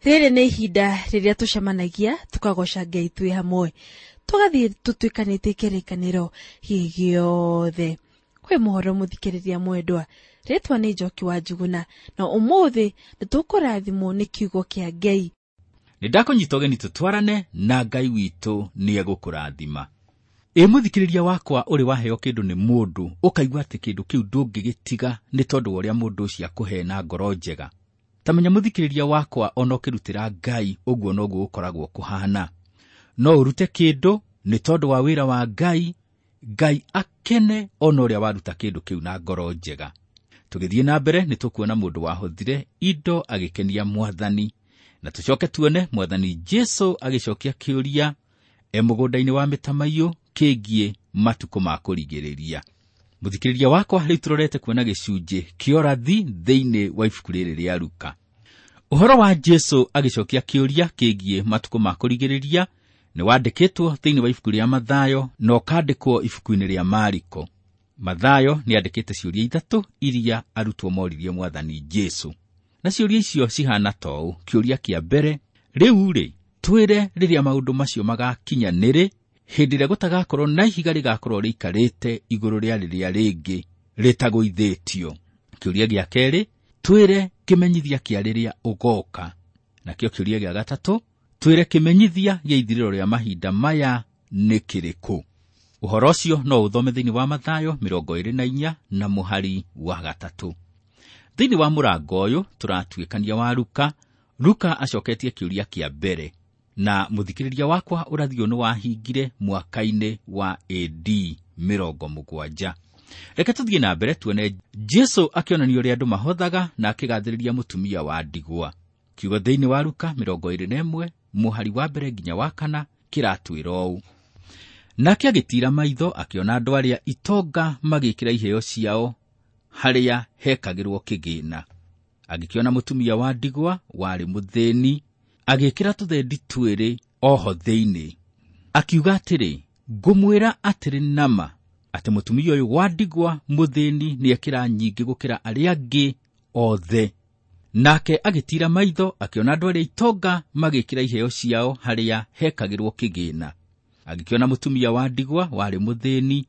Rĩrĩ nĩ ihinda rĩrĩa tũcemanagia tũkagoca Ngai twĩ hamwe, tũgathiĩ tũtuĩkanĩtie kĩrĩkanĩro gĩothe. Kwĩ mũhoro mũthikĩrĩria mwendwa, rĩtwa nĩ Njoki wa Njuguna, na ũmũthĩ nĩtũkũrathimwo nĩ kiugo kĩa Ngai. Nĩ ndakũnyita ũgeni tũtwarane na Ngai witũ nĩ egũkũrathima. Ĩ mũthikĩrĩria wakwa, ũrĩ waheo kĩndũ nĩ mũndũ ũkaigua atĩ kĩndũ kĩu ndũngĩgĩtiga nĩ tondũ wa ũrĩa mũndũ ũcio akũhe na ngoro njega. Ta menya mũthikĩrĩria wakwa, ona ũkĩrutĩra Ngai ũguo noguo gũkoragwo kũhana. No ũrute kĩndũ nĩ tondũ wa wĩra wa Ngai, Ngai akene ona ũrĩa waruta kĩndũ kĩu na ngoro njega. Tũgĩthiĩ na mbere nĩ tũkuona mũndũ wahothire indo agĩkenia Mwathani, na tũcoke tuone Mwathani Jesu agĩcokia kĩũria e mũgũnda-inĩ wa mĩtamaiyũ kĩgiĩ matukũ ma kũrigĩrĩria. Mũthikĩrĩria wakwa, rĩu tũrorete kuona gĩcunjĩ kĩa ũrathi thĩinĩ wa ibuku rĩrĩ rĩa Luka. Ũhoro wa Jesu agĩcokia kĩũria kĩgiĩ matukũ ma kũrigĩrĩria nĩ wandĩkĩtwo thĩinĩ wa ibuku rĩa Mathayo na ũkandĩkwo ibuku-inĩ rĩa Mariko. Mathayo nĩ andĩkĩte ciũria ithatũ iria arutwo moririe Mwathani Jesu. Na ciũria icio cihana ta ũũ. Kĩũria kĩa mbere, rĩu-rĩ, twĩre rĩrĩa maũndũ macio magakinya nĩrĩ, hĩndĩ ĩrĩa gũtagakorwo na ihiga rĩgakorwo rĩikarĩte igũrũ rĩa rĩrĩa rĩngĩ rĩtagũithĩtio. Kĩũria gĩa kerĩ, twĩre kĩmenyithia kĩa rĩrĩa ũgoka. Nakĩo kĩũria gĩa gatatũ, twĩre kĩmenyithia gĩa ithirĩro rĩa mahinda maya nĩ kĩrĩkũ. Ũhoro ũcio no ũthome thĩinĩ wa Mathayo 24 na mũhari wa 3. Thĩinĩ wa mũrango ũyũ tũratuĩkania wa Luka. Luka acoketie kĩũria kĩa mbere, na mũthikĩrĩria wakwa, ũrathi ũyũ nĩ wahingire mwaka-inĩ wa AD 70. Reke tũthiĩ na mbere tuone Jesu akĩonania ũrĩa andũ mahothaga na akĩgathĩrĩria mũtumia wa ndigwa. Kiugo thĩinĩ wa Luka 21 mũhari wa 1 nginya wa 4 kĩratwĩra ũũ. Nake agĩtiira maitho akĩona andũ arĩa itonga magĩkĩra iheo ciao harĩa hekagĩrwo kĩgĩna. Agĩkĩona mũtumia wa ndigwa warĩ mũthĩni agĩkĩra tũthendi twĩrĩ oho thĩinĩ. Akiuga atĩrĩ, ngũmwĩra atĩrĩ nama atĩ mũtumia ũyũ wa ndigwa mũthĩni nĩekĩra nyingĩ gũkĩra arĩa angĩ othe. Nake agĩtiira maitho akĩona andũ arĩa itonga magĩkĩra iheo ciao harĩa hekagĩrwo kĩgĩna. Agĩkĩona mũtumia wa ndigwa warĩ mũthĩni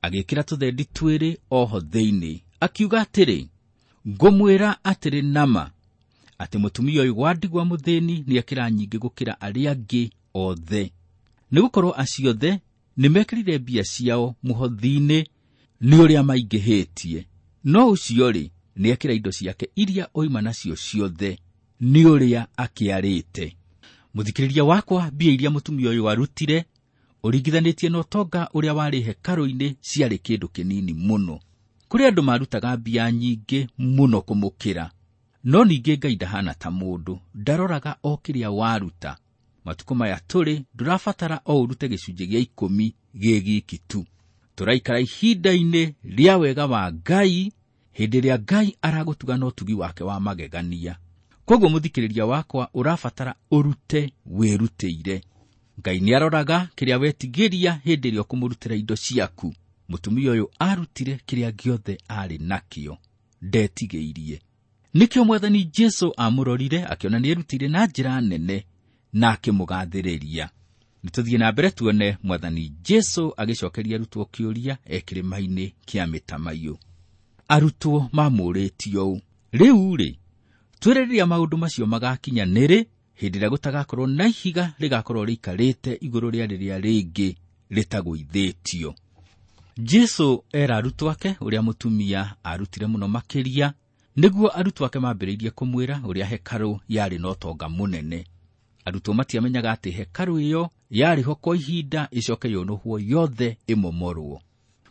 agĩkĩra tũthendi twĩrĩ oho thĩinĩ. Akiuga atĩrĩ, ngũmwĩra atĩrĩ nama atĩ mũtumia ũyũ wa ndigwa mũthĩni nĩekĩra nyingĩ gũkĩra arĩa angĩ othe. Nĩgũkorwo acio othe nĩmekĩrire mbia ciao mũhothi-inĩ nĩ ũrĩa maingĩhĩtie, no ũcio-rĩ nĩekĩra indo ciake iria oima nacio ciothe nĩ ũrĩa akĩarĩte. Mũthikĩrĩria wakwa, mbia iria mũtumia ũyũ arutire ũringithanĩtie na ũtonga ũrĩa warĩ hekarũ-inĩ ciarĩ kĩndũ kĩnini mũno. Kũrĩ andũ marutaga mbia nyingĩ mũno kũmũkĩra, no ningĩ Ngai ndahana ta mũndũ, ndaroraga o kĩrĩa waruta. Matukũ maya tũrĩ ndũrabatara o ũrute gĩcunjĩ gĩa 10 gĩ giki tu. Tũraikara ihinda-inĩ rĩa wega wa Ngai, hĩndĩ ĩrĩa Ngai aragũtuga na ũtugi wake wa magegania. Koguo mũthikĩrĩria wakwa, ũrabatara ũrute wĩrutĩire. Ngai nĩaroraga kĩrĩa wetigĩria hĩndĩ ĩrĩa ũkũmũrutĩra indo ciaku. Mũtumia ũyũ arutire kĩrĩa gĩothe arĩ nakĩo, ndetigĩirie. Nĩkĩo Mwathani Jesu amũrorire akĩona nĩerutĩire na njĩra nene na akĩmũgathĩrĩria. Nĩtũthiĩ na mbere tuone Mwathani Jesu agĩcokeria arutwo kĩũria e kĩrĩma-inĩ kĩa mĩtamaiyũ. Arutwo mamũũrĩtie ũũ, rĩu-rĩ, twĩre rĩrĩa maũndũ macio magakinya nĩrĩ, hĩndĩ ĩrĩa gũtagakorwo na ihiga rĩgakorwo rĩikarĩte igũrũ rĩa rĩrĩa rĩngĩ rĩtagũithĩtio. Jesu era arutwo ake ũrĩa mũtumia arutire mũno makĩria, nĩguo arutwo ake mambĩrĩirie kũmwĩra ũrĩa hekarũ yarĩ na ũtonga mũnene. Arutwo matiamenyaga atĩ hekarũ ĩyo yarĩ ho kwa ihinda ĩcoke yũnũhwo yothe ĩmomorwo.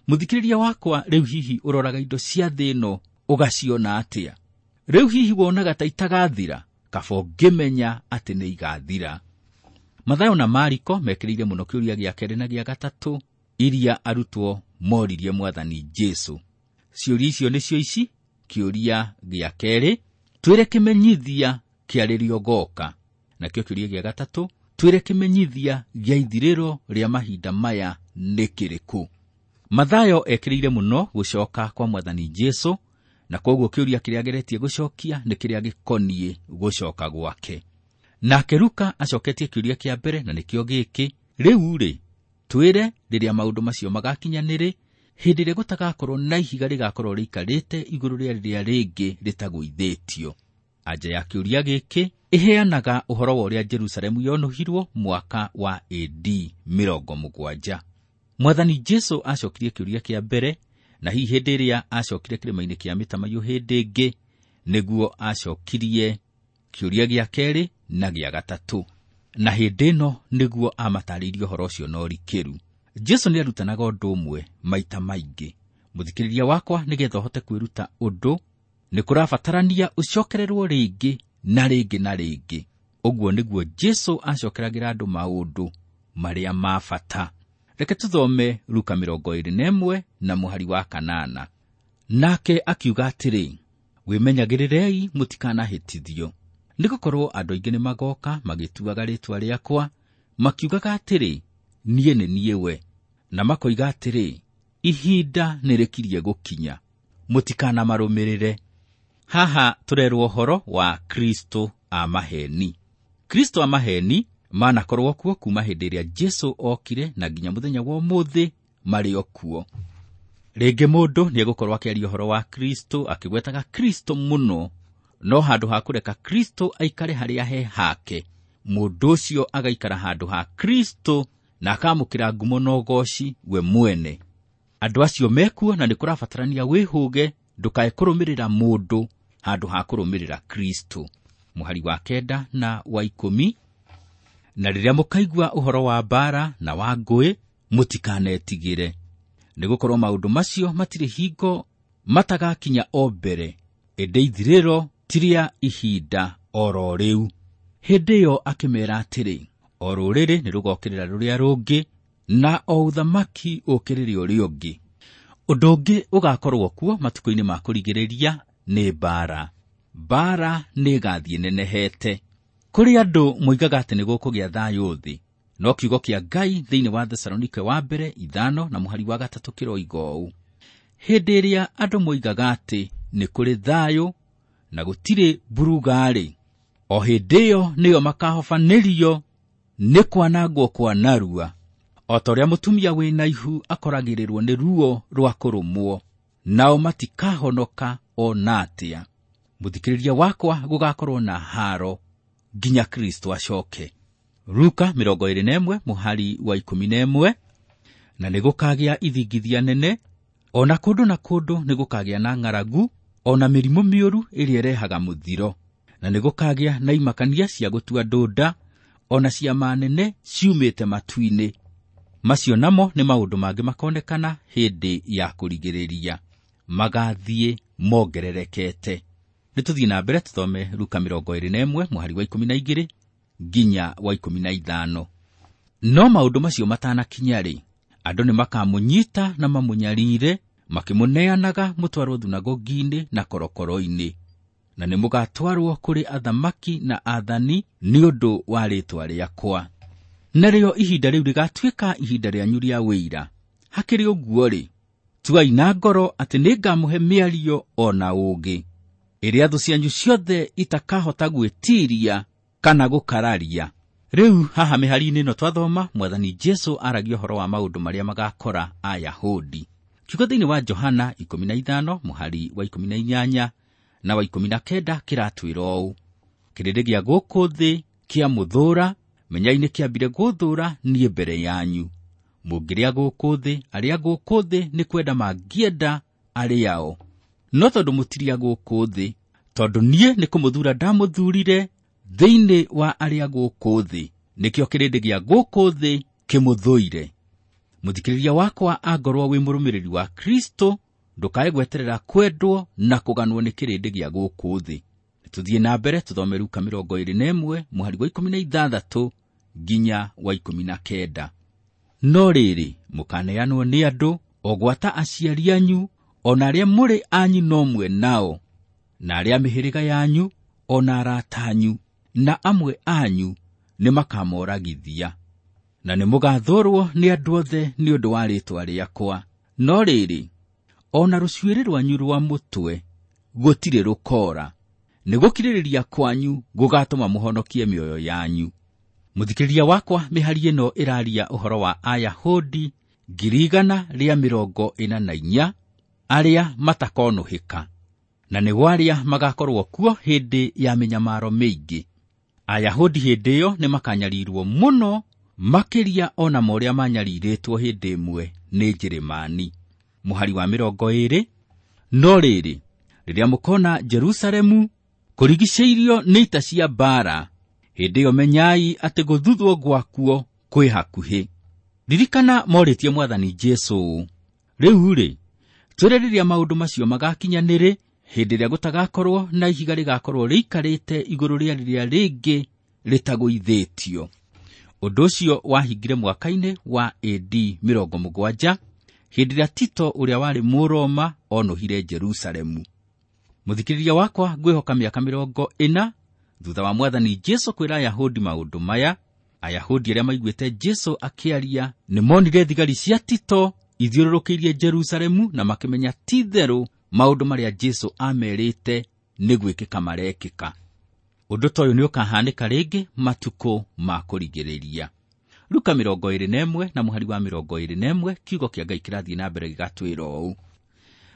Mũthikĩrĩria wakwa, rĩu hihi ũroraga indo cia thĩ ĩno ũgaciona atĩa? Rĩu hihi wonaga ta itagathira? Kaba ũngĩmenya atĩ nĩ igathira. Mathayo na Mariko mekĩrĩire mũno kĩũria gĩa kerĩ na gĩa gatatũ iria arutwo moririe Mwathani Jesu. Ciũria icio nĩcio ici. Kĩũria gĩa kerĩ, twĩre kĩmenyithia kĩa rĩrĩa ũgoka. Nakĩo kĩũria gĩa gatatũ, twĩre kĩmenyithia gĩa ithirĩro rĩa mahinda maya nĩ kĩrĩkũ. Mathayo ekĩrĩire mũno gũcoka kwa Mwathani Jesu, na koguo kĩũria kĩrĩa ageretie gũcokia nĩ kĩrĩa gĩkoniĩ gũcoka gwake. Nake Luka acoketie kĩũria kĩa mbere na nĩkĩo gĩkĩ, rĩu rĩ, twĩre rĩrĩa maũndũ macio magakinya nĩrĩ, hĩndĩ ĩrĩa gũtagakorwo na ihiga rĩgakorwo rĩikarĩte igũrũ rĩa rĩrĩa rĩngĩ rĩtagũithĩtio. Anja ya kĩũria gĩkĩ ĩheanaga ũhoro wa ũrĩa Jerusalemu yonũhirwo mwaka wa AD 70. Mwathani Jesu acokirie kĩũria kĩa mbere, na hihi hĩndĩ ĩrĩa acokire kĩrĩma-inĩ kĩa mĩtamaiyũ hĩndĩ ĩngĩ nĩguo acokirie kĩũria gĩa kerĩ na gĩa gatatũ, na hĩndĩ ĩno nĩguo amatarĩirie ũhoro ũcio na ũrikĩru. Jesu nĩarutanaga ũndũ ũmwe maita maingĩ. Mũthikĩrĩria wakwa, nĩgetha ũhote kwĩruta ũndũ nĩ kũrabatarania ũcokererwo rĩngĩ na rĩngĩ na rĩngĩ. Ũguo nĩguo Jesu acokeragĩra andũ maũndũ marĩa ma bata. Reke tũthome Luka 21 na mũhari wa 8. Nake akiuga atĩrĩ, wĩmenyagĩrĩrei mũtikanahĩtithio, nĩgũkorwo andũ aingĩ nĩmagoka magĩtuaga rĩĩtwa rĩakwa, makiugaga atĩrĩ, niĩ nĩ niĩ we, na makoiga atĩrĩ, ihinda nĩrĩkirie gũkinya, mũtikanamarũmĩrĩre. Haha tũrerwo ũhoro wa Kristo a maheni. Kristo a maheni manakorwo kuo kuma hĩndĩ ĩrĩa Jesu okire na nginya mũthenya wa ũmũthĩ marĩ o kuo. Rĩngĩ mũndũ nĩegũkorwo akĩaria ũhoro wa Kristo akĩgwetaga Kristo mũno, no handũ ha kũreka Kristo aikare harĩa he hake, mũndũ ũcio agaikara handũ ha Kristo na akamũkĩra ngumo na ũgoci we mwene. Andũ acio mekuo na nĩkũrabatarania wĩhũge ndũkae kũrũmĩrĩra mũndũ handũ ha kũrũmĩrĩra Kristo. Mũhari wa 9 na wa 10, na rĩrĩa mũkaigua ũhoro wa mbaara na wa ngũĩ, mũtikanetigĩre, nĩgũkorwo maũndũ macio matirĩ hingo matagakinya o mbere, ĩndĩ ithirĩro ti rĩa ihinda oro rĩu. Hĩndĩ ĩyo akĩmeera atĩrĩ, o rũrĩrĩ nĩrũgokĩrĩra rũrĩa rũngĩ, na o ũthamaki ũkĩrĩre ũrĩa ũngĩ. Ũndũ ũngĩ ũgakorwo kuo matukũ-inĩ ma kũrigĩrĩria nĩ mbaara. Mbaara nĩĩgathiĩ nenehete. Kũrĩ andũ moigaga atĩ nĩgũkũgĩa thayũ thĩ, no kiugo kĩa Ngai thĩinĩ wa Thesalonike wa mbere 5 na mũhari wa 3 kĩroiga ũũ, hĩndĩ ĩrĩa andũ moigaga atĩ nĩ kũrĩ thayũ na gũtirĩ mburuga-rĩ, o hĩndĩ ĩyo nĩyo makahobanĩrio nĩ kwanangwo kwa narua, o ta ũrĩa mũtumia wĩna ihu akoragĩrĩrwo nĩ ruo rwa kũrũmwo, nao matikahonoka o na atĩa. Mũthikĩrĩria wakwa, gũgakorwo na haro nginya Kristo acoke. Luka 21 mũhari wa 11, na nĩgũkagĩa ithingithia nene, o na kũndũ na kũndũ nĩgũkagĩa na ng'aragu, o na mĩrimũ mĩũru ĩrĩa ĩrehaga mũthiro, na nĩgũkagĩa na imakania cia gũtua ndũnda, o na ciama nene ciumĩte matu-inĩ. Macio namo nĩ maũndũ mangĩ makonekana hĩndĩ ya kũrigĩrĩria, magathiĩ mongererekete. Nĩtũthiĩ na mbere tũthome Luka 21 mũhari wa 12 nginya wa 15. No maũndũ macio matanakinya-rĩ, andũ nĩmakamũnyita na mamũnyarire, makĩmũneanaga mũtwarwo thunagogi-inĩ na korokoro-inĩ, na nĩmũgatwarwo kũrĩ athamaki na aathani nĩ ũndũ wa rĩĩtwa rĩakwa. Narĩo ihinda rĩu rĩgatuĩka ihinda rĩanyu rĩa wĩira. Hakĩrĩ ũguo-rĩ, tuai na ngoro atĩ nĩngamũhe mĩario o na ũũgĩ, ĩrĩa thũ cianyu ciothe itakahota gwĩtiiria kana gũkararia. Rĩu haha mĩhari-inĩ ĩno twathoma, Mwathani Jesu aragia ũhoro wa maũndũ marĩa magakora Ayahudi. Kiugo thĩinĩ wa Johana 15 mũhari wa 18 na wa 19 kĩratwĩra ũũ, kĩrĩndĩ gĩa gũkũ thĩ kĩamũthũũra, menyai nĩ kĩambire gũthũũra niĩ mbere yanyu. Mũngĩrĩa gũkũ thĩ, arĩa gũkũ thĩ nĩ kwenda mangĩenda arĩao, no tondũ mũtirĩ a gũkũ thĩ, tondũ niĩ nĩ kũmũthuura ndamũthuurire thĩinĩ wa arĩa gũkũ thĩ, nĩkĩo kĩrĩndĩ gĩa gũkũ thĩ kĩmũthũire. Mũthikĩrĩria wakwa, angorwo wĩ mũrũmĩrĩri wa Kristo, ndũkae gweterera kwendwo na kũganwo nĩ kĩrĩndĩ gĩa gũkũ thĩ. Tũthiĩ na mbere tũthome Luka 21 mũhari wa 16 nginya wa 19. No rĩrĩ, mũkaneanwo nĩ andũ, o gwata aciari anyu, o na arĩa mũrĩ a nyina ũmwe nao, na arĩa mĩhĩrĩga yanyu, o na arata anyu, na amwe anyu nĩmakamoragithia. Na nĩmũgathũũrwo nĩ andũ othe nĩ ũndũ wa rĩĩtwa rĩakwa. No rĩrĩ, o na rũcuĩrĩ rwanyu rwa mũtwe gũtirĩ rũkoora. Nĩ gũkirĩrĩria kwanyu gũgatũma mũhonokie mĩoyo yanyu. Mũthikĩrĩria wakwa, mĩhari ĩno ĩraria ũhoro wa Ayahudi 144,000 arĩa matakonũhĩka, na nĩo arĩa magakorwo kuo hĩndĩ ya mĩnyamaro mĩingĩ. Ayahudi hĩndĩ ĩyo nĩ makanyarirwo mũno makĩria ona ma ũrĩa manyarirĩtwo hĩndĩ ĩmwe nĩ Njĩrĩmani. Mũhari wa 20, no rĩrĩ, rĩrĩa mũkona Jerusalemu kũrigicĩirio nĩ ita cia mbaara, hĩndĩ ĩyo menyai atĩ gũthuthwo gwakuo kwĩ hakuhĩ. Ririkana morĩtie Mwathani Jesũ ũũ, rĩu-rĩ, twĩre rĩrĩa maũndũ macio magakinyanĩrĩ, hĩndĩ ĩrĩa gũtagakorwo na ihiga rĩgakorwo rĩikarĩte igũrũ rĩa rĩrĩa rĩngĩ rĩtagũithĩtio. Ũndũ ũcio wahingire mwaka-inĩ wa AD 70, hĩndĩ ĩrĩa Tito ũrĩa warĩ Mũroma onũhire Jerusalemu. Mũthikĩrĩria wakwa, ngwĩhoka mĩaka 40 thutha wa Mwathani Jesũ kwĩra Ayahudi maũndũ maya, Ayahudi arĩa maiguĩte Jesũ akĩaria nĩ monire thigari cia Tito ithiũrũrũkĩirie Jerusalemu na makĩmenya ti-itherũ maũndũ marĩa Jesũ amerĩte nĩ gwĩkĩka marekĩka. Ũndũ ta ũyũ nĩ ũkahanĩka rĩngĩ matukũ ma kũrigĩrĩria. Luka 21 na mũhari wa 21, kiugo kĩa Ngai kĩrathiĩ na mbere gĩgatwĩra ũũ: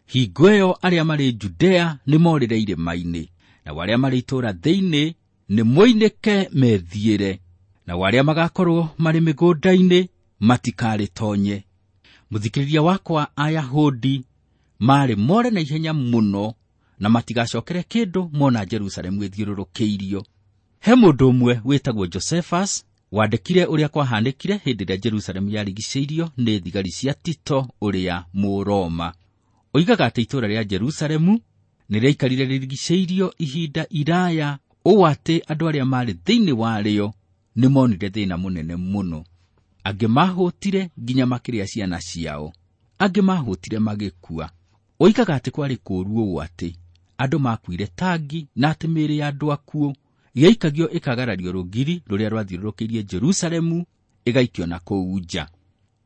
hingo ĩyo arĩa marĩ Judea nĩ morĩre irĩma-inĩ, nao arĩa marĩ itũũra thĩinĩ nĩ moinĩke methiĩre, nao arĩa magakorwo marĩ mĩgũnda-inĩ matikarĩtonye. Mũthikĩrĩria wakwa, Ayahudi marĩ more na ihenya mũno na matigacokere kĩndũ mona Jerusalemu ĩthiũrũrũkĩirio. He mũndũ ũmwe wĩtagwo Josephus wandĩkire ũrĩa kwahanĩkire hĩndĩ ĩrĩa Jerusalemu yarigicĩirio nĩ thigari cia Tito ũrĩa Mũroma. Oigaga atĩ itũũra rĩa Jerusalemu nĩ rĩaikarire rĩrigicĩirio ihinda iraya ũũ atĩ andũ arĩa marĩ thĩinĩ warĩo nĩ monire thĩna mũnene mũno. Angĩ mahũtire nginya makĩrĩa ciana ciao, angĩ mahũtire magĩkua. Oigaga atĩ kwarĩ kũũru ũũ atĩ andũ makuire tangi na atĩ mĩĩrĩ ya andũ akuũ yaikagio ĩkagarario rũgiri rũrĩa rwathiũrũrũkĩirie Jerusalemu ĩgaikio na kũu nja.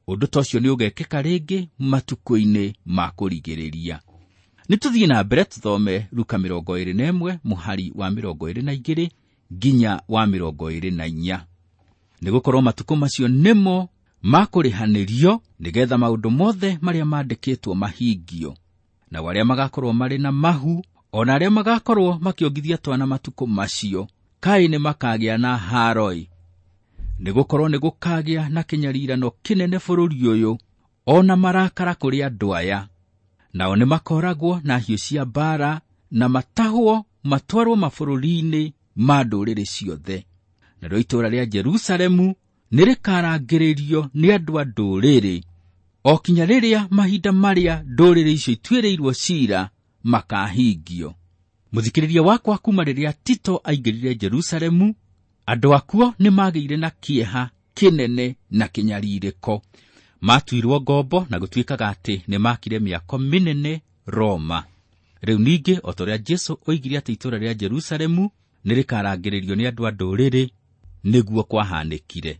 Ũndũ ta ũcio nĩ ũgekĩka rĩngĩ matukũ-inĩ ma kũrigĩrĩria. Nĩ tũthiĩ na mbere tũthome Luka 21 mũhari wa 22 nginya wa 24. Nĩgũkorwo matukũ macio nĩmo makũrĩhanĩrio nĩgetha maũndũ mothe marĩa mandĩkĩtwo mahingio. Nao arĩa magakorwo marĩ na mahu ona arĩa magakorwo makĩongithia twana matukũ macio, kaĩ nĩ makagĩa na haroi. Nĩgũkorwo nĩgũkagĩa na kĩnyarirano kĩnene bũrũri ũyũ, ona marakara kũrĩ andũ aya. Nao nĩmakoragwo na hiũ cia mbaara na matahwo matwarwo mabũrũri-inĩ ma ndũrĩrĩ ciothe. Narĩo itũũra rĩa Jerusalemu nĩrĩkarangĩrĩrio nĩ andũ a ndũrĩrĩ, o kinya rĩrĩa mahinda marĩa ndũrĩrĩ icio ituĩrĩirwo ciira makahingio. Mũthikĩrĩria wakwa, kuma rĩrĩa Tito aingĩrire Jerusalemu, andũ akuo nĩmagĩire na kĩeha kĩnene na kĩnyarirĩko. Matuirwo ngombo na gũtuĩkaga atĩ nĩmakire mĩako mĩnene Roma. Rĩu ningĩ o ta ũrĩa Jesũ oigire atĩ itũũra rĩa Jerusalemu nĩrĩkarangĩrĩrio nĩ andũ a ndũrĩrĩ, nĩguo kwahanĩkire.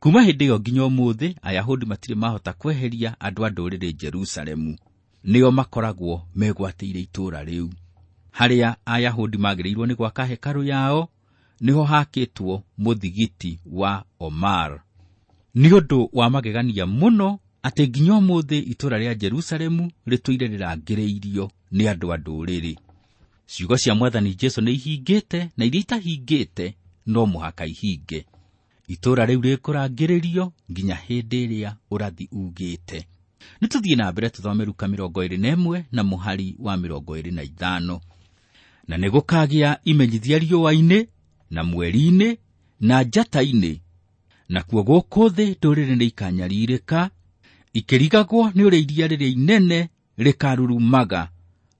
Kuma hĩndĩ ĩyo nginya ũmũthĩ, Ayahudi matirĩ mahota kweheria andũ a ndũrĩrĩ Jerusalemu. Nĩo makoragwo megwatĩire itũũra rĩu. Harĩa Ayahudi magĩrĩirwo nĩ gwaka hekarũ yao, nĩho hakĩtwo mũthigiti wa Omar. Nĩ ũndũ wa magegania mũno atĩ nginya ũmũthĩ itũũra rĩa Jerusalemu rĩtũire rĩrangĩrĩirio nĩ andũ a ndũrĩrĩ. Ciugo cia Mwathani Jesũ nĩ ihingĩte, na iria itahingĩte no mũhaka ihinge. Itũũra rĩu rĩkũrangĩrĩrio nginya hĩndĩ ĩrĩa ũrathi ugĩte. Nĩ tũthiĩ na mbere tũthome Luka 21 na mũhari wa 25. Na nĩgũkagĩa imenyithia riũa-inĩ na mweri-inĩ na njata-inĩ, nakuo gũkũ thĩ ndũrĩrĩ nĩikanyarirĩka, ikĩrigagwo nĩ ũrĩa iria rĩrĩa inene rĩkarurumaga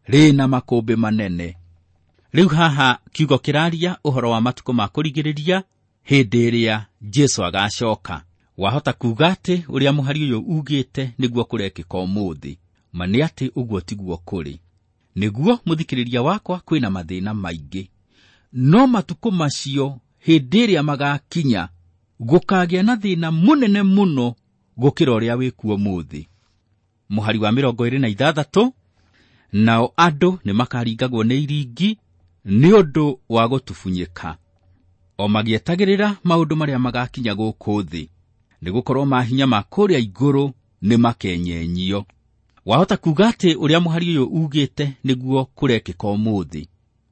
rĩna makũmbĩ manene. Rĩu haha kiugo kĩraria ũhoro wa matukũ ma kũrigĩrĩria hĩndĩ ĩrĩa Jesũ agacoka. Wahota kuuga atĩ ũrĩa mũhari ũyũ ugĩte nĩguo kũrekĩka ũmũthĩ, ma nĩ atĩ ũguo tiguo kũrĩ. Nĩguo mũthikĩrĩria wakwa, kwĩna mathĩna maingĩ, no matukũ macio hĩndĩ ĩrĩa magakinya gũkagĩa na thĩna mũnene mũno gũkĩra ũrĩa wĩkuo ũmũthĩ. Mũhari wa 26, nao andũ nĩmakaringagwo nĩ iringi Nĩ ũndũ wa gũtubunyĩka, o magĩetagĩrĩra maũndũ marĩa magakinya gũkũ thĩ, nĩgũkorwo mahinya ma kũrĩa igũrũ nĩ makenyenyio. Wahota kuuga atĩ ũrĩa mũhari ũyũ ugĩte nĩguo kũrekĩka ũmũthĩ.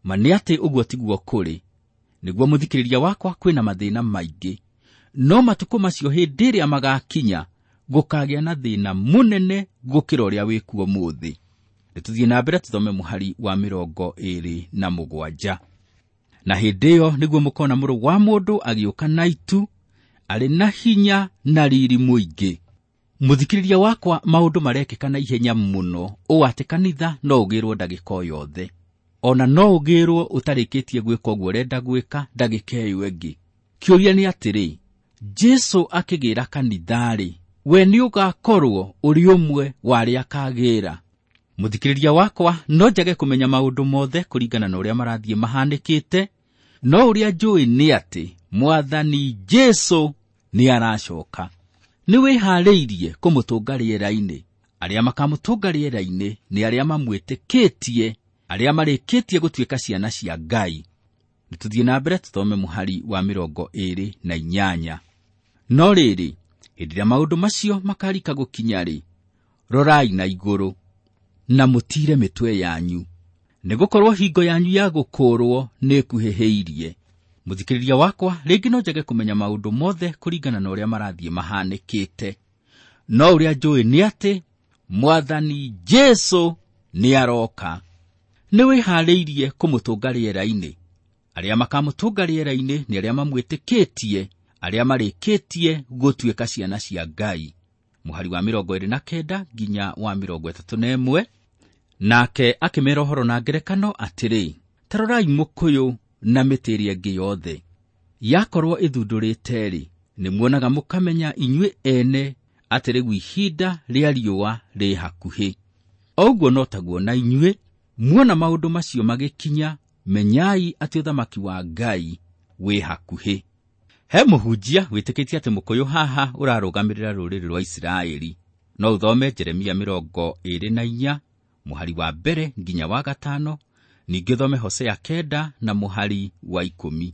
Ma nĩ atĩ ũguo tiguo kũrĩ. Nĩguo mũthikĩrĩria wakwa, kwĩna mathĩna maingĩ, no matukũ macio hĩndĩ ĩrĩa magakinya gũkagĩa na thĩna mũnene gũkĩra ũrĩa wĩkuo ũmũthĩ. Nĩtũthiĩ na mbere tũthome mũhari wa 27. Na hĩndĩ ĩyo nĩguo mũkona Mũrũ wa Mũndũ agĩũka na itu, arĩ na hinya na riri mũingĩ. Mũthikĩrĩria wakwa, maũndũ marekĩka na ihenya mũno ũũ atĩ kanitha no ũgĩrwo ndagĩka o yothe. Ona no ũgĩrwo ũtarĩkĩtie gwĩka ũguo ũrenda gwĩka ndagĩka ĩyo ĩngĩ. Kĩũria nĩ atĩrĩ, Jesũ akĩgĩra kanitha-rĩ, we nĩ ũgakorwo ũrĩ ũmwe wa arĩa akagĩra? Mũthikĩrĩria wakwa, no njage kũmenya maũndũ mothe kũringana na ũrĩa marathiĩ mahanĩkĩte, no ũrĩa njũĩ nĩ atĩ Mwathani Jesũ nĩ aracoka. Nĩ wĩharĩirie kũmũtũnga rĩera-inĩ. Arĩa makamũtũnga rĩera-inĩ nĩ arĩa mamwĩtĩkĩtie, arĩa marĩkĩtie gũtuĩka ciana cia Ngai. Nĩtũthiĩ na mbere tũthome mũhari wa 28. No rĩrĩ, hĩndĩ ĩrĩa maũndũ macio makarika gũkinya-rĩ, rorai na igũrũ na mũtiire mĩtwe yanyu, nĩgũkorwo hingo yanyu ya gũkũũrwo nĩĩkuhĩhĩirie. Mũthikĩrĩria wakwa, rĩngĩ no njage kũmenya maũndũ mothe kũringana na ũrĩa marathiĩ mahanĩkĩte, no ũrĩa njũĩ nĩ atĩ Mwathani Jesũ nĩaroka. Nĩ wĩharĩirie kũmũtũnga rĩera-inĩ. Arĩa makamũtũnga rĩera-inĩ nĩ arĩa mamwĩtĩkĩtie, arĩa marĩkĩtie gũtuĩka ciana cia Ngai. Mũhari wa 29 nginya wa 31. Nake akĩmera ũhoro na ngerekano atĩrĩ, ta rorai mũkũyũ na mĩtĩ ĩrĩa ĩngĩ yothe. Yakorwo ĩthundũrĩte-rĩ, nĩmuonaga mũkamenya inyuĩ ene atĩ rĩu ihinda rĩa riũa rĩ hakuhĩ. O ũguo no taguo na inyuĩ, muona maũndũ macio magĩkinya, menyai atĩ ũthamaki wa Ngai wĩ hakuhĩ. He mũhunjia wĩtĩkĩtie atĩ mũkũyũ haha ũrarũgamĩrĩra rũrĩrĩ rwa Isiraeli. No ũthome Jeremia 24 mũhari wa 1 nginya wa 5, ningĩ ũthome Hosea 9 na mũhari wa 10.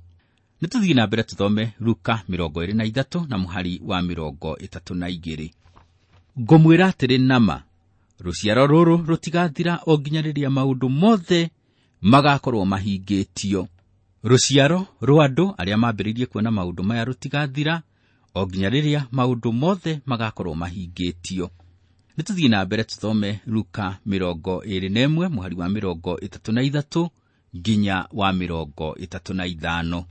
Nĩtũthiĩ na mbere tũthome Luka 23 na mũhari wa 32. Ngũmwĩra atĩrĩ nama, rũciaro rũrũ rũtigathira o nginya rĩrĩa maũndũ mothe magakorwo mahingĩtio. Rũciaro rwa andũ arĩa mambĩrĩirie kuona maũndũ maya rũtigathira o nginya rĩrĩa maũndũ mothe magakorwo mahingĩtio. Nĩtũthiĩ na mbere tũthome Luka 21 mũhari wa 33 nginya wa 35.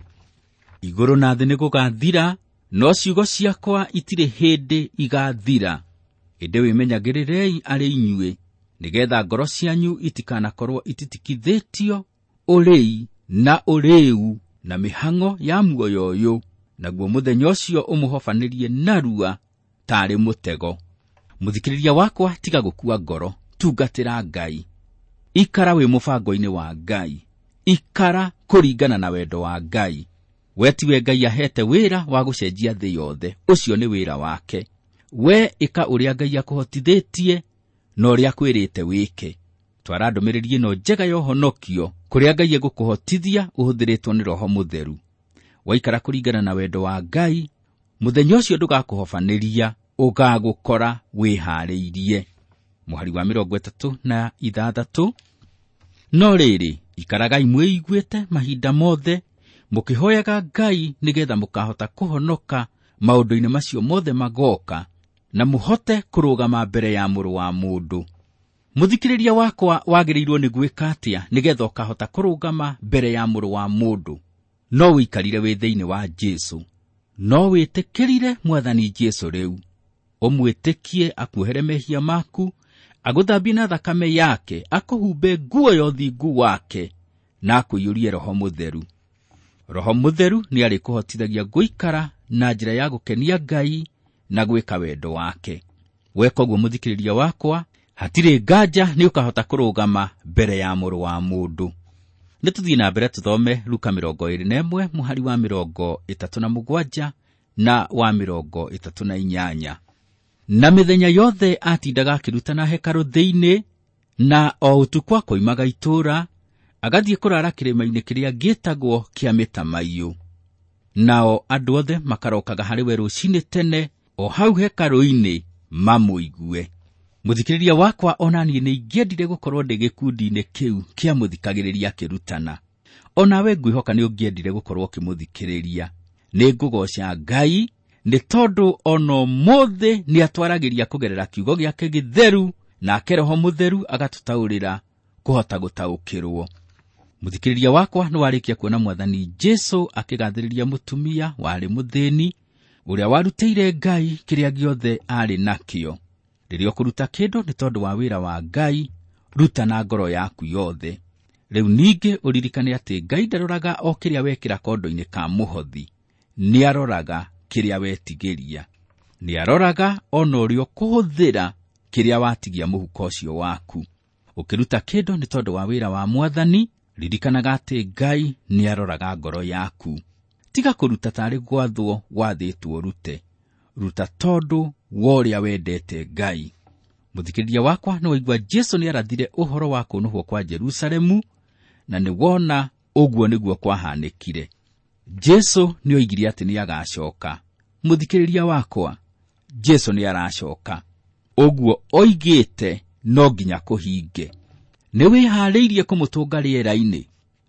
Igũrũ na thĩ nĩgũgathira, no ciugo ciakwa itirĩ hĩndĩ igathira. Ĩndĩ wĩmenyagĩrĩrei arĩ inyuĩ, nĩgetha ngoro cianyu itikanakorwo ititikithĩtio ũrĩi na ũrĩu na mĩhang'o ya muoyo ũyũ, naguo mũthenya ũcio ũmũhobanĩrie narua taarĩ mũtego. Mũthikĩrĩria wakwa, tiga gũkua ngoro, tungatĩra Ngai. Ikara wĩ mũbango-inĩ wa Ngai, ikara kũringana na wendo wa Ngai. We tiwe Ngai ahete wĩra wa gũcenjia thĩ yothe, ũcio nĩ wĩra wake. We ĩka ũrĩa Ngai akũhotithĩtie na ũrĩa akwĩrĩte wĩke. Twara ndũmĩrĩri ĩno njega ya ũhonokio kũrĩa Ngai egũkũhotithia ũhũthĩrĩtwo nĩ Roho Mũtheru. Waikara kũringana na wendo wa Ngai, mũthenya ũcio ndũgakũhobanĩria, ũgagũkora wĩharĩirie. Mũhari wa 36. No rĩrĩ, ikaragai mwĩiguĩte mahinda mothe, mũkĩhoyaga Ngai nĩgetha mũkahota kũhonoka maũndũ-inĩ macio mothe magoka, na mũhote kũrũgama mbere ya Mũrũ wa Mũndũ. Mũthikĩrĩria wakwa, wagĩrĩirwo nĩ gwĩka atĩa nĩgetha ũkahota kũrũgama mbere ya Mũrũ wa Mũndũ? No ũikarire wĩ thĩinĩ wa Jesũ, no wĩtĩkĩrire Mwathani Jesũ rĩu, ũmwĩtĩkie akuohere mehia maku, agũthambie na thakame yake, akũhumbe nguo ya ũthingu wake, na akũiyũrie Roho Mũtheru. Roho Mũtheru nĩarĩkũhotithagia gũikara na njĩra ya gũkenia Ngai na gwĩka wendo wake. Weka ũguo mũthikĩrĩria wakwa, hatirĩ nganja nĩ ũkahota kũrũgama mbere ya Mũrũ wa Mũndũ. Nĩtũthiĩ na mbere tũthome Luka 21 mũhari wa 37 na wa 38. Na mĩthenya yothe atindaga akĩrutana hekarũ thĩinĩ, na o ũtukũ akoimaga itũũra, Agathiĩ kũrara kĩrĩma-inĩ kĩrĩa gĩtagwo kĩa mĩtamaiyũ. Nao andũ othe makarokaga harĩ we rũcinĩ tene o hau hekarũ-inĩ mamũigue. Mũthikĩrĩria wakwa, ona niĩ nĩ ingĩendire gũkorwo ndĩ gĩkundi-inĩ kĩu kĩa mũthikagĩrĩria akĩrutana. Onawe ngwĩhoka nĩ ũngĩendire gũkorwo ũkĩmũthikĩrĩria. Nĩ ngũgooca Ngai nĩ tondũ ona ũmũthĩ nĩ atwaragĩria kũgerera kiugo gĩake gĩtheru, nake Roho Mũtheru agatũtaũrĩra kũhota gũtaũkĩrwo. Mũthikĩrĩria wakwa, nĩ warĩkia kuona Mwathani Jesu akĩgathĩrĩria mũtumia warĩ mũthĩni ũrĩa warutĩire Ngai kĩrĩa gĩothe aarĩ nakĩo. Rĩrĩa ũkũruta kĩndũ nĩ tondũ wa wĩra wa Ngai, ruta na ngoro yaku yothe. Rĩu ningĩ ũririkane atĩ Ngai ndaroraga o kĩrĩa wekĩra kondo-inĩ ka mũhothi, nĩaroraga kĩrĩa wetigĩria. Nĩaroraga ona ũrĩa ũkũhũthĩra kĩrĩa watigia mũhuko ũcio waku. Ũkĩruta kĩndũ nĩ tondũ wa wĩra wa Mwathani, ririkanaga atĩ Ngai nĩaroraga ngoro yaku. Tiga kũruta tarĩ gwathwo wathĩtwo ũrute, ruta tondũ wa ũrĩa wendete Ngai. Mũthikĩrĩria wakwa, nĩ waigua Jesu nĩarathire ũhoro wa kũnũhwo kwa Jerusalemu, na nĩ wona ũguo nĩguo kwahanĩkire. Jesu nĩoigire atĩ nĩagacoka. Mũthikĩrĩria wakwa, Jesu nĩaracoka. Ũguo oigĩte no nginya kũhinge. Nĩ wĩharĩirie kũmũtũnga rĩera-inĩ.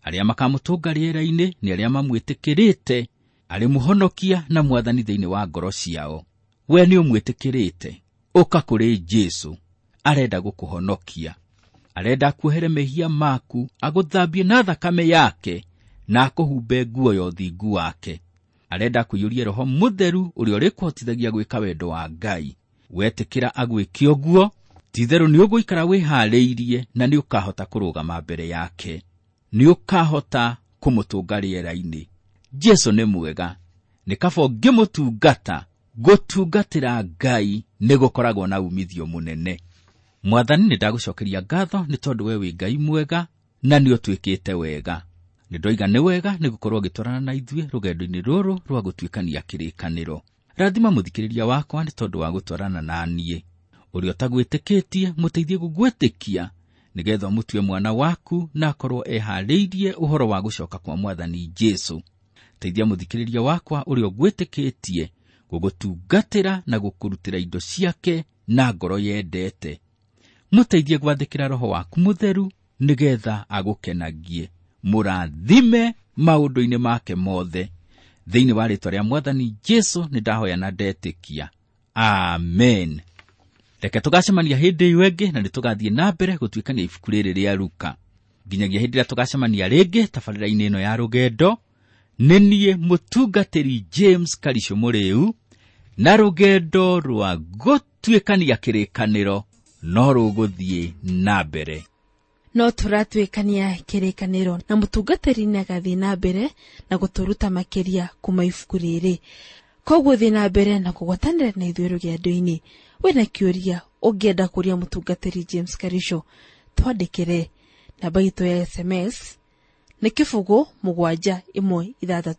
Arĩa makamũtũnga rĩera-inĩ nĩ arĩa mamwĩtĩkĩrĩte arĩ mũhonokia na Mwathani thĩinĩ wa ngoro ciao. We nĩ ũmwĩtĩkĩrĩte, ũka kũrĩ Jesu. Arenda gũkũhonokia, arenda akuohere mehia maku, agũthambie na thakame yake, na akũhumbe nguo ya ũthingu wake. Arenda akũiyũrie Roho Mũtheru ũrĩa ũrĩkũhotithagia gwĩka wendo wa Ngai. Wetĩkĩra agwĩke ũguo, ti-itherũ nĩ ũgũikara wĩharĩirie na nĩ ũkahota kũrũgama mbere yake. Nĩ ũkahota kũmũtũnga rĩera-inĩ. Jesu nĩ mwega, nĩ kaba ũngĩmũtungata. Gũtungatĩra Ngai nĩ gũkoragwo na umithio mũnene. Mwathani, nĩ ndagũcokeria ngatho nĩ tondũ we wĩ Ngai mwega na nĩ ũtwĩkĩte wega. Nĩ ndoiga nĩ wega nĩ gũkorwo ũgĩtwarana na ithuĩ rũgendo-inĩ rũrũ rwa gũtuĩkania kĩrĩkanĩro. Rathima mũthikĩrĩria wakwa nĩ tondũ wa gũtwarana na niĩ. Ũrĩa ũtagwĩtĩkĩtie, mũteithie gũgwĩtĩkia nĩgetha ũmũtue mwana waku na akorwo eharĩirie ũhoro wa gũcoka kwa Mwathani Jesu. Teithia mũthikĩrĩria wakwa ũrĩa ũgwĩtĩkĩtie gũgũtungatĩra na gũkũrutĩra indo ciake na ngoro yendete. Mũteithie gwathĩkĩra Roho waku Mũtheru nĩgetha agũkenagie. Mũrathime maũndũ-inĩ make mothe. Thĩinĩ wa rĩĩtwa rĩa Mwathani Jesu nĩ ndahoya na ndetĩkia. Amen. Reke tũgacemania hĩndĩ ĩyo ĩngĩ na nĩ tũgathiĩ na mbere gũtuĩkania ibuku rĩrĩ rĩa Luka. Nginyagia hĩndĩ ĩrĩa tũgacemania rĩngĩ tabarĩra-inĩ ĩno ya rũgendo, nĩ niĩ mũtungatĩri James Karisho Mũrĩu, na rũgendo rwa gũtuĩkania kĩrĩkanĩro no rũgũthiĩ na mbere. No tũratuĩkania kĩrĩkanĩro na mũtungatĩri nĩagathiĩ na mbere na gũtũruta makĩria kuma ibuku rĩrĩ. Koguo thiĩ na mbere na kũgwatanĩra na ithuĩ rũgendo-inĩ. Wĩna kĩũria ũngĩenda kũria mũtungatĩri James Karisho, twandĩkĩre. Namba itũ ya SMS nĩ 0 7 1 6 4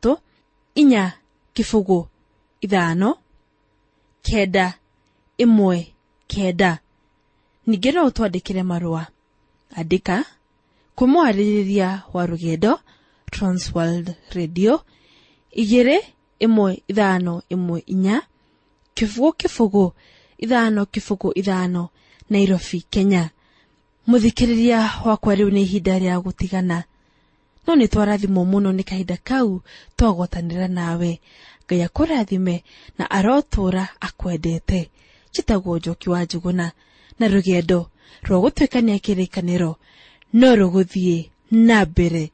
0 5 9 1 9. Ningĩ no ũtwandĩkĩre marũa. Andĩka kwĩ mwarĩrĩria wa rũgendo Transworld Radio 2 1 5 1 4 0 0 5 0 5 Nairobi, Kenya. Mũthikĩrĩria wakwa, rĩu nĩ ihinda rĩa gũtigana, no nĩ twarathimwo mũno nĩ kahinda kau twagwatanĩra nawe. Ngai akũrathime na arotũũra akwendete. Njĩtagwo Njoki wa Njũgũna, na rũgendo rwa gũtuĩkania kĩrĩkanĩro no rũgũthiĩ na mbere.